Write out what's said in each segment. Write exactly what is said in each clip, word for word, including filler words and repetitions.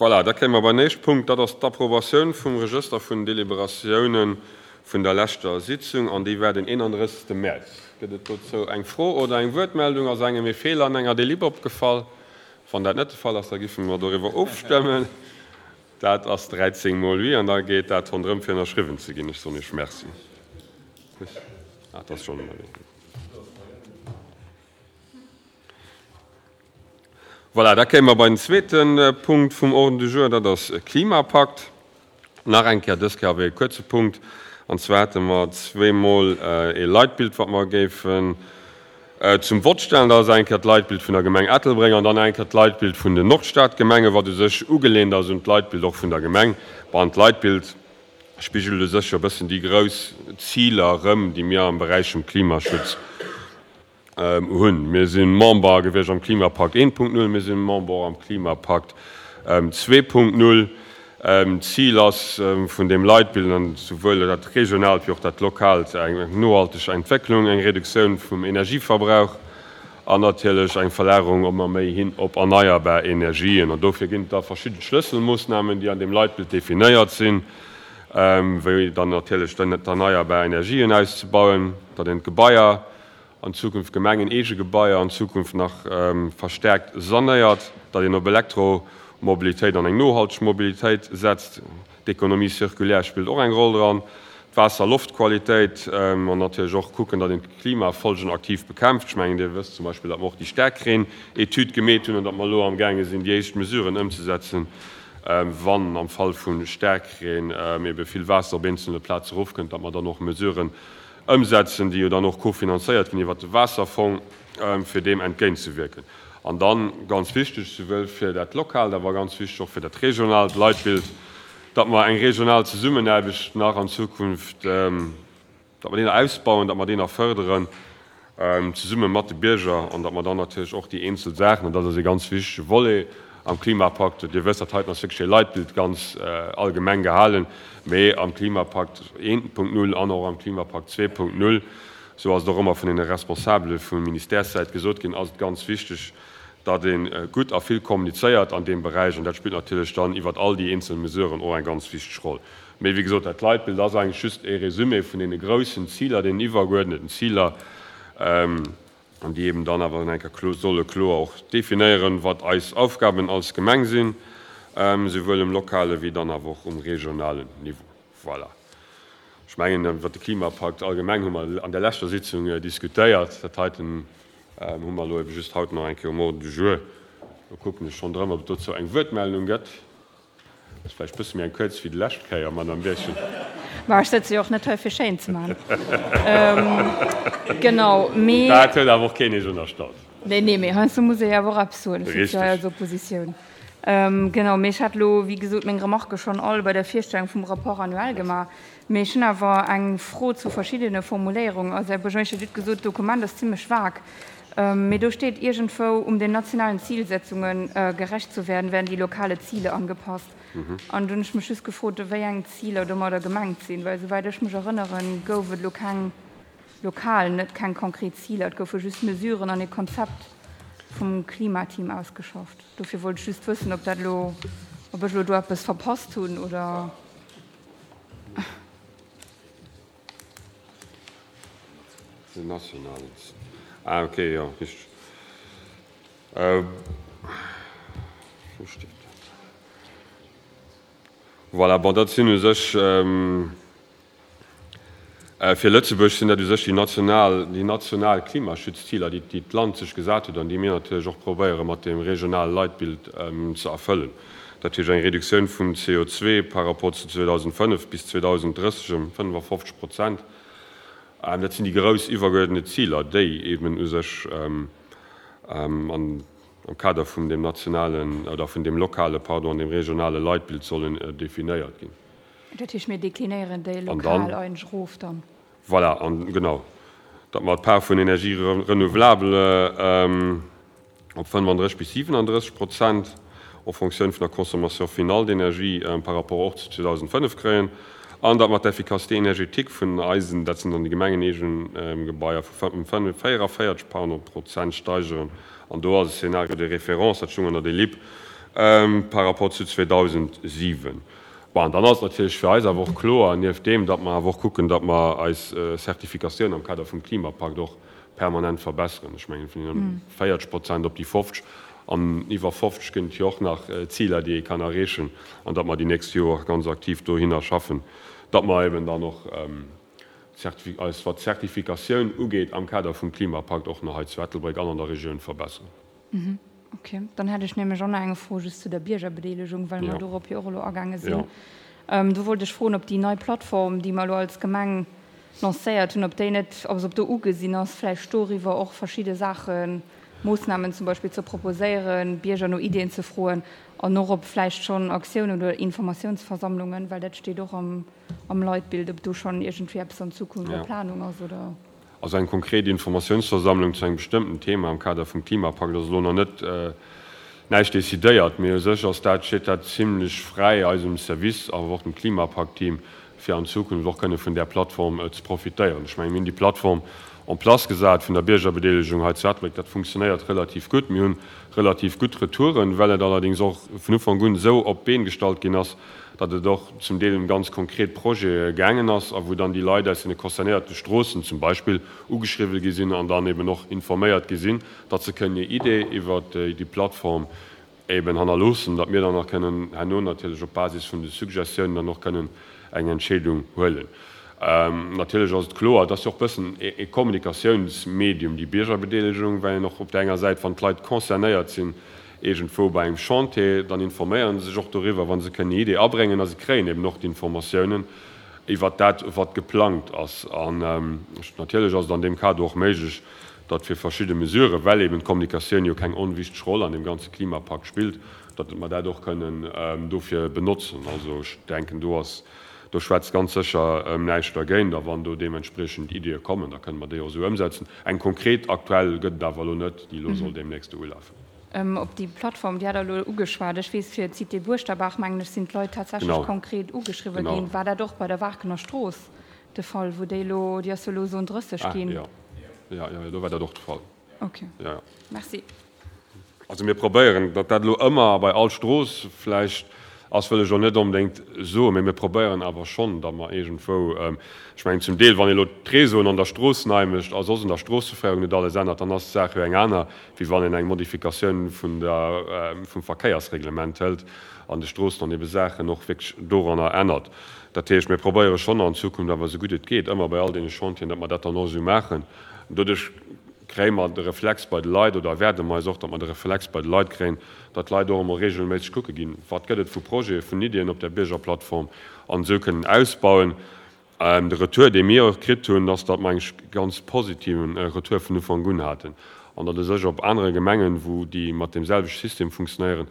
Voilà, da kéime mer beim éischte Punkt, dat ass d'Approbatioun vum Regëster vun Deliberatiounen vun der leschter Sitzung, an déi war den eenandrëssegste Mäerz. Gëtt et dozou eng Fro oder eng Wuertmeldung? Ass engem e Feeler an enger Delib opgefall? Wann dat net de Fall ass, da giffe mer doriwwer ofstëmmen. Dat ass dräizéng mol oui, an da geet dat ronderëm fir ënnerschriwwen ze ginn. Ech soen Iech Merci. Ah, dat ass schonn ënnerwee. Voilà, da kéime mer bei den zweete Punkt vum Ordre du jour, dat ass Klimapakt. Nach eng Kéier, dës Kéier awer e kuerze Punkt, an zwar hätte mer zweemol ee Leitbild, wat mer géifen zum Vott stellen. Dat ass eng Kéier d'Leitbild vun der Gemeng Ettelbréck an dann eng Kéier d'Leitbild vun den Nordstadgemengen, wat u sech ugelehnt ass un d'Leitbild och vun der Gemeng. Bon, d'Leitbild spigelt u sech jo e bëssen déi grouss Ziler erëm, déi mir am Beräich vum Klimaschutz hunn. Mir si Member gewiescht am Klimapakt eent Punkt null, mir si Member och am Klimapakt zwee Punkt null. D'Zil ass vun deem Leitbild, an souwuel dat regionaalt wéi och dat lokaalt, eng nohalteg Entwécklung, eng Reduktioun vum Energieverbrauch an natierlech eng Verlagerung ëmmer méi hin op erneierbar Energien. An dofir ginn et da verschidde Schlësselmoossnamen, déi an deem Leitbild definéiert sinn, wéi dann natierlech d'erneierbar Energien auszebauen, datt een d'Gebaier an Zukunft gemengeneege Gebaier an Zukunft nach verstärkt sanéiert, datt een op Elektromobilitéit an eng nohalteg Mobilitéit setzt. D'Économie circulaire spillt och eng Roll dran, d'Waasser-Loft-Qualitéit an natierlech och kucken, datt een d'Klimafolgen aktiv bekämpft. Ech mengen, Dir wësst zum Beispill, datt mer och déi Staarkreen-Etüd gemeet hunn an datt mer elo amgaange sinn, déi éischt Mesuren ëmzesetzen, wann am Fall vu Staarkreen ebe vill Waasser op eenzelne Plaze erofkënnt, datt mer dann och Mesuren ëmsetzen, déi jo dann och kofinanzéiert ginn iwwert de Waasserfong, fir deem entgéintzewierken. An dann, ganz wichteg, souwuel fir dat lokaalt, awer ganz wichteg och fir dat regionaalt Leitbild, datt mer eng regional Zesummenaarbecht nach an Zukunft, datt mer déi nach ausbauen, datt mer déi nach fërderen, zesumme mat de Bierger, an datt mer dann natierlech och déi eenzel Saachen, an dat ass e ganz wichtege Volet am Klimapakt, Dir wësst, dat heiten ass wierklech e Leitbild, ganz allgemeng gehalen, mee am Klimapakt eent Punkt null an och am Klimapakt zwee Punkt null, esou ass et och ëmmer vun deene Responsabele vu Ministèressäit gesot ginn, ass et ganz wichteg, datt ee gutt a vill kommunizéiert an deem Beräich. An dat spillt natierlech dann iwwert all déi eenzel Mesuren och eng ganz wichteg Roll. Mee wéi gesot, dat Leitbild ass eigentlech just e Résumé vun deene groussen Ziler, deenen iwwergeuerdneten Ziler, an déi eben dann awer eng Kéier solle kloer och definéieren, wat eis Aufgaben als Gemeng sinn, souwuel um lokale wéi dann awer och um regionalen Niveau. Voilà. Ech mengen, iwwert de Klimapakt allgemeng hu mer an der leschter Sitzung diskutéiert. Dat heiten hu mer elo ebe just haut nach eng Kéier um Ordre du jour. Do kucken ech schonn drëm, ob et dozou eng Wuertmeldung gëtt. Ass vläicht e bësse méi eng kuerz wéi déi lescht Kéier, Madame Birchen. Ma ech sëtze jo och net hei fir schéin ze maachen. Genau, mee. Dat huet awer och keen Iech ënnerstallt. Nee, nee, mee heiansdo muss ee jo awer och eppes soen. Ech sëtze jo hei als Oppositioun. Genau, mee ech hat elo, wéi gesot, meng Remarquë schonn all bei der Virstellung vum Rapport annuel gemaach. Mee ech hunn awer eng Fro zu verschiddene Formuléierungen. Also, Här Buergermeeschter, Dir hutt gesot, d'Dokument ass zimmlech vag. Mee do steet iergendwou, um den nationalen Zielsetzungen gerecht zu werden, werden die lokale Ziele angepasst. An do hunn ech mech just gefrot, wéi eng Ziler domadder gemengt sinn, well souwäit ech mech erënneren, gouf et elo keng lokal, net keng konkret Ziler, et goufe just Mesuren an e Konzept vum Klimateam ausgeschafft. Dofir wollt ech just wëssen, ob dat elo, ob ech elo do eppes verpasst hunn oder. Den nationalen. Ah, okay, jo, richteg. Wou steet dat? Voilà, bon, dat sinn u sech, fir Lëtzebuerg sinn dat u sech déi national, déi national Klimaschutzziler, déi, déi d'Land sech gesat huet an déi mir natierlech och probéiere mat deem regionale Leitbild ze erfëllen. Dat heescht eng Reduktioun vum C O zwei par rapport zu zweedausendfënnef bis zweedausendrësseg ëm fënnefafofzeg Prozent. Dat sinn déi grouss iwwergeuerdnet Ziler, déi eben u sech am Kader vun deem nationalen oder vun deem lokale, pardon, an deem regionale Leitbild sollen definéiert ginn. Dat heescht, mir deklinéieren déi lokal eigentlech erof dann? Voilà, an genau, datt mer d'Part vun Énergie renouvelable op fënnefandrësseg bis siwenandrësseg Prozent en fonction vun der Consommation finale d'énergie par rapport och zu zweedausendfënnef kréien, an datt mer d'Efficacité énergétique vun eisen, dat sinn dann déi gemengeneegen Gebaier, vu véieraféierzeg, pardon, Prozent steigeren. An do ass e Scénario de référence, dat stoung an der Delib, par rapport zu zweedausendsiwen. Bon, an dann ass et natierlech fir eis awer och kloer, nieft deem, datt mer awer och kucken, datt mer eis Zertifikatioun am Kader vum Klimapakt och permanent verbesseren. Ech mengen, vun deene véierzeg Prozent op déi fofzeg an iwwer fofzeg ginn et jo och nach Ziler, déi ee kann erreechen, an datt mer déi nächst Joer ganz aktiv dohinner schaffen, datt mer eben dann och eis, wat d'Zertifikatioun ugeet, am Kader vum Klimapakt och nach hei zu Ettelbréck an an der Regioun verbesseren. Okay, dann hätt ech nämlech och nach eng Fro just zu der Biergerbedeelegung, well mer dorop jo och elo agaange sinn. Do wollt ech froen, ob déi nei Plattform, déi mer elo als Gemeng lancéiert hunn, ob déi net, also ob do ugesinn ass, vläicht doriwwer och verschidde Saachen, Moossnamen zum Beispill ze proposéieren, Bierger no Iddien ze froen an och ob vläicht schonn Aktiounen oder Informatiounsversammlungen, well dat steet och am Leitbild, ob do schonn iergendwéi eppes an Zukunft a Planung ass oder. Also eng konkret Informatiounsversammlung zu engem bestëmmten Thema am Kader vum Klimapakt ass elo nach net näischt decidéiert, mee u sech ass dat, steet dat zimlech fräi eisem Service, awer och dem Klimapakt-Team, fir an Zukunft och kënne vun där Plattform ze profitéieren. Ech mengen, mir hunn déi Plattform en place gesat vun der Biergerbedeelegung hei zu Ettelbréck. Dat funktionéiert relativ gutt. Mir hunn relativ gutt Retouren, well et allerdéngs och vun Ufank un esou op d'Been gestallt ginn ass, datt et och zum Deel ëm ganz konkret Projete gaangen ass a wou dann déi Leit aus deene concernéierte Stroossen zum Beispill ugeschriwwen gi sinn an dann eben och informéiert gi sinn, datt se kënnen hir Idee iwwert déi Plattform eben hannerloossen, datt mir dann och kënnen herno natierlech op Basis vun de Suggestiounen dann och kënnen eng Entscheedung huelen. Natierlech ass et kloer, et ass jo och e bëssen e Kommunikatiounsmedium, déi Biergerbedeelegung, well een och op där enger Säit, wann d'Leit concernéiert sinn iergendwou bei engem Chantier, dann informéiere se sech och doriwwer, wa se kënnen hir Idee abréngen a se kréien eben och d'Informatiounen iwwert dat, wat geplangt ass. An natierlech ass et an deem Kader och méiglech, datt fir verschidde Mesuren, well eben d'Kommunikatioun jo keng onwichteg Roll an deem ganze Klimapakt spillt, datt mer dat och kënnen dofir benotzen. Also ech denken, do ass, do schwätzt ganz sécher näischt dergéint. A wann do deementspriechend Iddie kommen, da kënne mer déi och esou ëmsetzen. Eng konkret aktuell gëtt et awer elo net, déi elo soll deemnächst ulafen. Op déi Plattform, déi hat Der elo ugeschwat. Ech weess, fir d'Cité Buerschterbaach, mengen ech, sinn d'Leit tatsächlech konkret ugeschriwwen ginn. War dat och bei der Waarkener Strooss de Fall, wou déi elo, déi ass jo elo Zone drësseg ginn? Jo, jo, jo, do war dat och de Fall. Okay. Jo, jo. Merci. Also mir probéieren, datt dat elo ëmmer bei all Strooss vläicht ass, wëll ech elo net onbedéngt soen, mee mir probéieren awer schonn, datt mer iergendwou, ech mengen zum Deel, wann ee elo d'Réseauen an der Strooss nei mécht a soss an der Stroosseféierung net alles ännert, dann ass d'Saach jo eng aner, wéi wann een eng Modifikatioun vun der, vum Verkéiersreglement hëlt an de Stroossen an ebe Saachen och wierklech doranner ännert. Dat heescht, mir probéiere schonn an Zukunft awer esou gutt et geet ëmmer bei all deene Chantieren, datt mer dat dann och esou maachen. Doduerch kréie mer de Reflex bei de Leit, oder erwaarde mer eis och, datt mer de Reflex bei de Leit kréien, datt d'Leit och emol regelméisseg kucke ginn, wat gëtt et vu Projete, vun Iddien op där Biergerplattform an esou kënnen ausbauen. De Retour, dee mir och kritt hunn, ass, datt mer eng ganz positiven Retour vun Ufank un haten an datt u sech op anere Gemengen, wou déi mat deem selwechte System funktionéieren,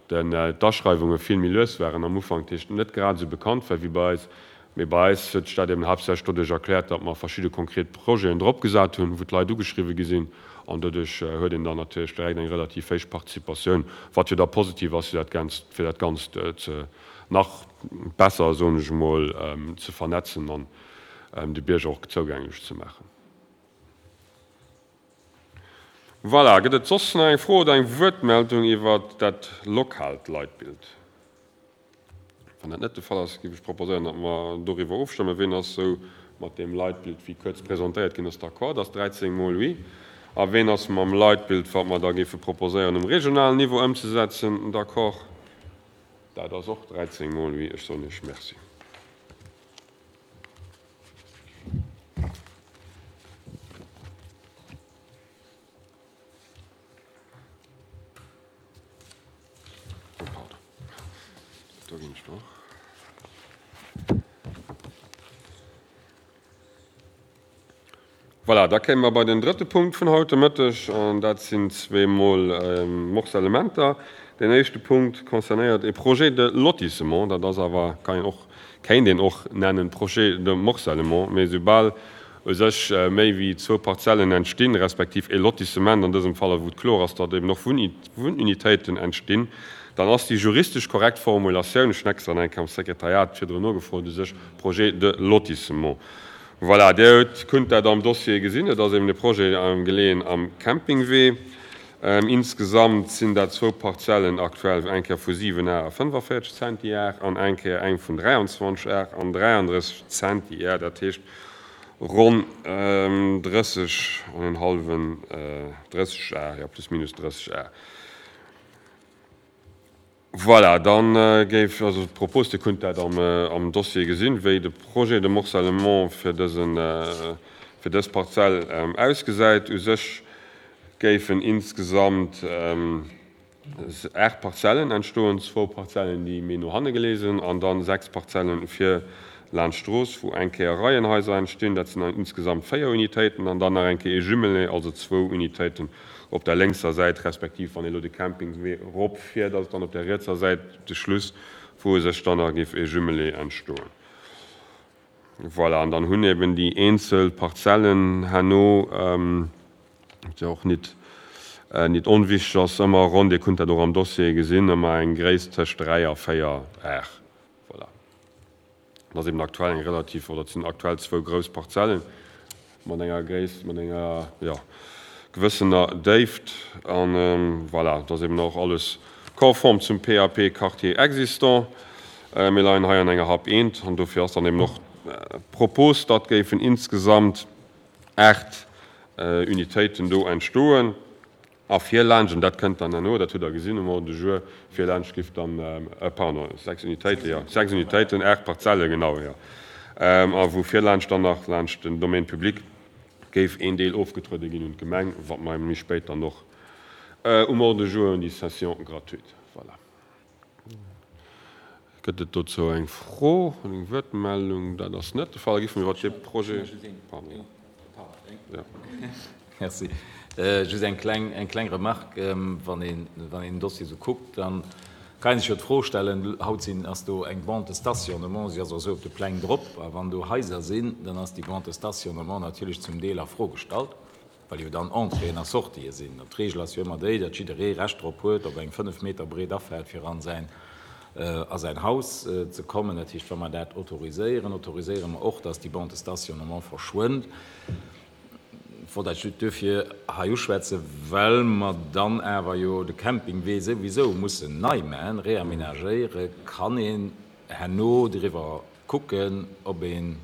d'Aschreiwunge vill méi lues waren am Ufank, dat heescht net grad esou bekannt war wéi bei eis. Mee bei eis huet sech dat eben haaptsächlech doduerch erkläert, datt mer verschidde konkret Projeten drop gesat hunn, wou d'Leit ugeschriwwe gi sinn. An doduerch huet een dann natierlech direkt eng relativ héich Participatioun, wat jo da positiv ass, fir dat Ganzt, fir dat Ganzt ze nach besser, soen ech emol, ze vernetzen an de Bierger och zougänglech ze maachen. Voilà, gëtt et soss nach eng Fro oder eng Wuertmeldung iwwert dat lokaalt Leitbild? Wann dat net de Fall ass, géif ech proposéieren, datt mer doriwwer ofstëmmen. Ween ass esou mat deem Leitbild, wéi kuerz presentéiert ginn ass, d'accord? Dat ass dräizéng mol oui. A ween ass mam Leitbild, wat mer da géife proposéieren, um regionalen Niveau ëmzesetzen, d'accord? Dat ass och dräizéng mol oui. Ech soen Iech Merci. Voilà, da kéime mer bei den drëtte Punkt vun haut de Mëtteg, an dat sinn zweemol Morcellementer. Deen éischte Punkt concernéiert e Projet de lotissement. Dat ass awer, kann een och, kéint een och nennen Projet de morcellement, mee soubal u sech méi wéi zwou Parzellen entstinn, respektiv e Lotissement an dësem Fall, a wou et kloer ass, datt eben och Wunnunitéiten entstinn, dann ass déi juristesch korrekt Formulatioun, ech hunn extra nach eng Kéier am Sekretariat virdrun nogefrot, u sech Projet de lotissement. Voilà, Dir hutt, kunnt dat am Dossier gesinn, et ass eben e Projet geleeën am Campingwee. Insgesamt sinn dat zwou Parzellen aktuell, eng Kéier vu siwen Ar a fënnefenvéierzeg Zentiar an eng Kéier eng vun dräianzwanzeg Ar an dräiandrësseg Zentiar, dat heescht ronn drësseg an en hallwen, drësseg Ar, jo, plus minus drësseg Ar. Voilà, dann géif also d'Propos, Dir kunnt dat am, am Dossier gesinn, wéi de Projet de morcellement fir dësen, fir dës Parzell ausgesäit. U sech géifen insgesamt aacht Parzellen entstoen, zwou Parzellen, déi méi no hanne geleeë sinn, an dann sechs Parzellen fir laanscht d'Strooss, wou eng Kéier Reienhaiser entstinn, dat sinn dann insgesamt véier Unitéiten, an dann nach eng Kéier ee Jumelé, also zwou Unitéiten op der lénkser Säit, respektiv wann ee lo de Campingwee eropfiert, ass et dann op der rietser Säit de Schluss, wou u sech dann nach géif ee Jumelé entstoen. Voilà, an dann hunn eben déi eenzel Parzellen herno, wat jo och nit, nit onwichtig ass, ëmmer ronn, Dir kunnt dat och am Dossier gesinn, ëmmer eng Gréisst tëscht dräi a véier Ar. Voilà. Dat ass eben aktuell eng relativ, oder et sinn aktuell zwou grouss Parzellen mat enger Gréisst, mat enger, jo, gewëssener Déift. An voilà, dat ass eben och alles konform zum P A P Quartier existant. Mir leien hei an enger H A P eent an dofir ass dann eben och d'Propos, datt géifen insgesamt aacht Unitéiten do entstoen. A virlaanscht, an dat kënnt dann herno, dat hutt Der gesinn um Ordre du jour, virlaanscht giff dann, pardon, sechs Unitéiten, jo, sechs Unitéiten, aacht Parzelle, genau, jo. A wou virlaanscht dann nach laanscht den Domaine public géif een Deel ofgetruede ginn un d'Gemeng, wat mer méi spéit dann och um Ordre du jour hunn, déi Cession gratuite. Voilà. Gëtt et dozou eng Fro, eng Wuertmeldung? Dat ass net de Fall. Da gi mir iwwer dee Projet. Pardon. Ja. Merci. Just eng kleng, eng kleng Remarque. Wann een, wann een den Dossier esou kuckt, dann kann een sech jo d'Fro stellen, haut sinn, ass do eng Bande de stationnement, si ass och esou op de Pläng drop, a wann do Haiser sinn, dann ass déi Bande de stationnement natierlech zum Deel a Fro gestallt, well jo dann Entréeën a Sortië sinn. An d'Regel ass jo ëmmer déi, datt jidderee Recht drop huet, op eng fënnef Meter breet Afaart fir an säin, a säin Haus ze kommen. Dat heescht, wa mer dat autoriséieren, autoriséiere mer och, datt déi Bande de stationnement verschwënnt. Ech wollt dat just duerfir hei uschwätzen, well mer dann awer jo de Campingwee souwisou mussen nei maachen, réaménagéieren. Kann een herno driwwer kucken, ob een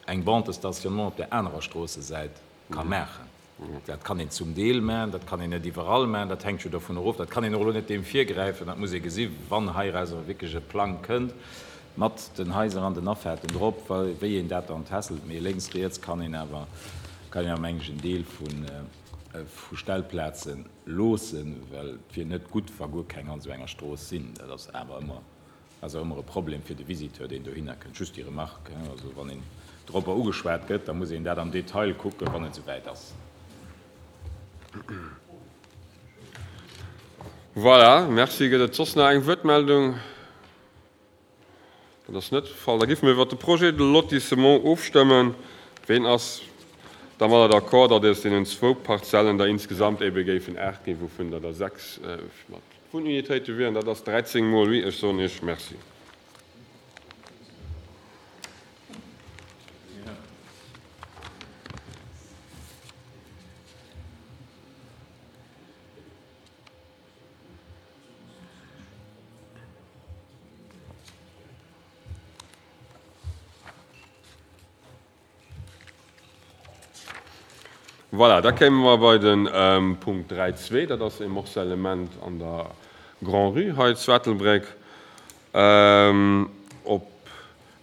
eng Bande de stationnement op der anerer Stroossesäit ka maachen. Dat kann een zum Deel maachen, dat kann een net iwwerall maachen, dat hänkt jo dovun erof. Dat kann een och elo net deem virgräifen, dat muss ee gesi wann heirauser wierklech e Plang kënnt mat den Haiser an den Afaarten drop, wéi een dat dann tässelt. Mee lénks, riets kann een awer, kann een awer mengen ech en Deel vu Stellplaze loossen, well et wier net gutt, wa guer keng an esou enger Strooss sinn. Dat ass awer ëmmer, ass awer ëmmer e Problem fir de Visiteur, deen dohinner kënnt. Just déi Remarque, hein, also wann een dropper ugeschwat gëtt, da muss een dat am Detail kucken, wann et esouwäit ass. Voilà, merci. Gëtt et soss nach eng Wuertmeldung? Dat ass net de Fall. Da géife mir iwwer de Projet de lotissement ofstëmmen. Ween ass dermadder d'accord, datt aus deenen zwou Parzellen der insgesamt ebe géifen aacht ginn, wouvun der der sechs mat Wunnunitéite wieren? Dat ass dräizéng mol oui. Ech soen Iech Merci. Voilà, da kéime mer bei den Punkt dräi zwee, dat ass e Morcellement an der Grand-Rue hei zu Ettelbréck, op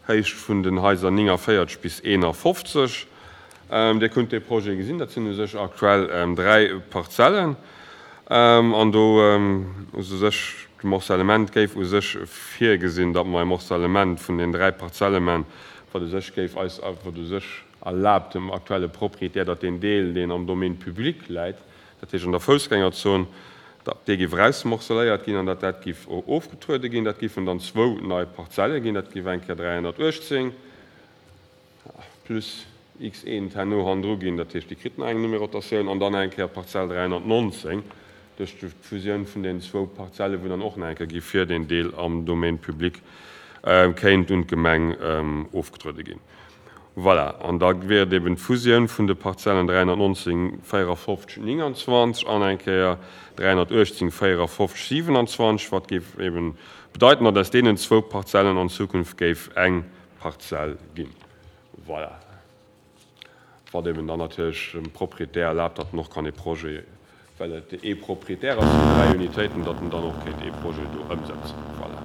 Héicht vun den Haiser néngunvéierzeg bis eenafofzeg. Dir kunnt dee Projet gesinn, dat sinn u sech aktuell dräi Parzellen. An do u sech de Morcellement géif u sech virgesinn, datt mer e Morcellement vun den dräi Parzelle man, wat u sech géif eis, wat u sech erlaabt dem aktuelle Proprietär, datt deen Deel, deen am Domaine public läit, dat heescht an der Foussgängerzon, datt dee géif rausmorceléiert ginn an datt dat géif ofgetruede ginn. Dat géifen dann zwou nei Parzelle ginn, dat géif eng Kéier dräihonnertuechtzéng plus X eent herno hannendru ginn, dat heescht, déi kritt nach eng Numerotatioun, an dann eng Kéier Parzell dräihonnertnonzéng duerch d'Fusioun vun den zwou Parzelle, wou dann och nach eng Kéier géif fir den Deel am Domaine public kéint un d'Gemeng ofgetruede ginn. Voilà, an da wier et eben d'Fusioun vun de Parzellen dräihonnertnonzéng, véierafofzeg, nénganzwanzeg an eng Kéier dräihonnertuechtzéng, véierafofzeg, siwenanzwanzeg, wat géif eben bedeiten, datt aus deenen zwou Parzellen an Zukunft géif eng Parzell ginn. Voilà. Wat eben dann natierlech dem Proprietär erlaabt, datt en och kann ee Projet, well et ee Proprietär ass vun dräi Unitéiten, datt en dann och kéint ee Projet do ëmsetzen. Voilà.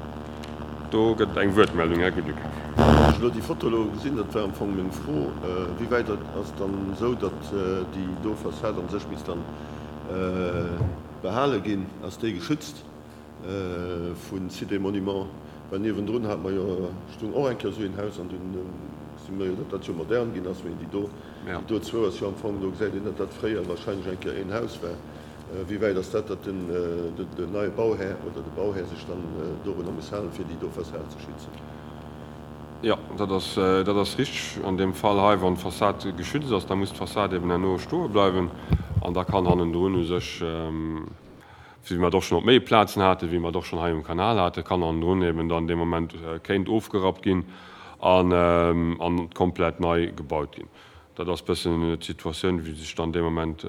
Do gëtt et eng Wuertmeldung, Här Güdekaf. Wann ech elo déi Foto elo gesinn, dat war am Fong meng Fro, wéi wäit ass dann esou, datt déi do Fassad a sech misst dann behale ginn? Ass déi geschützt vu Sites et Monuments? Well niewendrun hate mer jo, stung och eng Kéier esou een Haus an dunn gesi mer jo, datt dat jo modern ginn ass, mee déi do, déi do zwou ass jo am Fong, do gesäit een, datt dat fréier wahrscheinlech eng Kéier een Haus war. Wéi wäit ass dat, datt den, den neie Bauhär oder de Bauhär sech dann dorunner muss halen, fir déi do Fassad ze schützen? Jo, dat ass, dat ass richteg. An deem Fall hei, wann d'Fassad geschützt ass, da muss d'Fassad eben herno stoe bleiwen an da kann hannendrun u sech, wéi mer et och schonn op méi Plazen haten, wéi mer et och schonn hei um Kanal haten, kann hannendrun eben dann dee Moment kéint ofgerappt ginn an an komplett nei gebaut ginn. Dat ass bëssen d'Situatioun, wéi sech dann dee Moment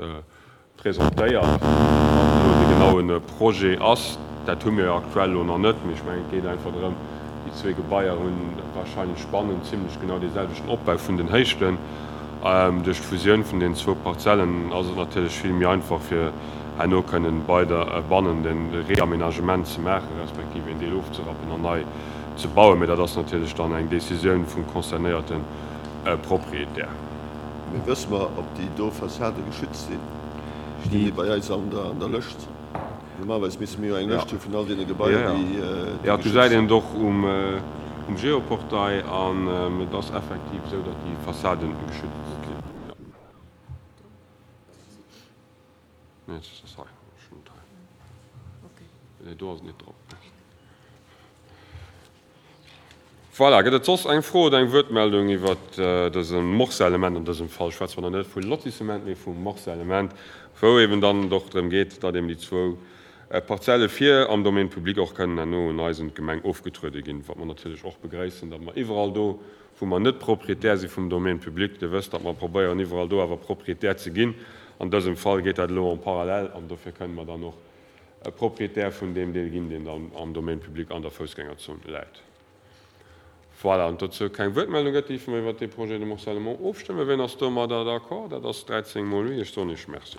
presentéiert. Wat elo de genaue Projet ass, dat hu mir jo aktuell elo nach net, mee ech mengen, et geet einfach drëm, déi zwee Gebaier hu wahrscheinlech bannen zimlech genau dee selwechten Opbau vun den Héichten. Duerch d'Fusioun vun deenen zwou Parzellen ass et natierlech vill méi einfach, fir herno kënnen bei der bannen de Réaménagement ze maachen, respektiv een Deel ofzerappen an nei ze bauen. Mee dat ass natierlech dann eng Décisioun vum concernéierte Propriétaire. Mee wësse mer, ob déi do Fassade geschützt sinn? Stinn déi bei eis an der Lëscht? Normalerweis misste mir jo eng Lëscht hu vun all deene Gebaier, déi geschützt sinn. Jo, gesäit een et och um Geoportail. An et ass effektiv esou, datt déi Fassaden geschützt sinn. Nee, et ass hei. Ech hunn et hei. Nee, do ass et net drop. Voilà, gëtt et soss eng Fro oder eng Wuertmeldung iwwert dëse Morcellement? An dësem Fall schwätze mer dann net vu Lotissement, mee vu Morcellement, wou eben dann et och drëm geet, datt eben déi zwou Parzelle vir am Domaine public och kënnen herno un eis, un d'Gemeng ofgetruede ginn, wat mer natierlech och begréissen, datt mer iwwerall do, wou mer net Proprietär si vum Domaine public, Dir wësst, datt mer probéieren, iwwerall do awer Proprietär ze ginn. An dësem Fall geet dat elo en parallèle an dofir kënnen mer dann och Proprietär vun deem Deel ginn, deen dann am Domaine public an der Foussgängerzon läit. Voilà, an dozou keng Wuertmeldung gëtt, géife mer iwwert dee Projet de morcellement ofstëmmen. Wien ass domadder d'accord? Dat ass dräizéng mol oui. Ech soen Iech Merci.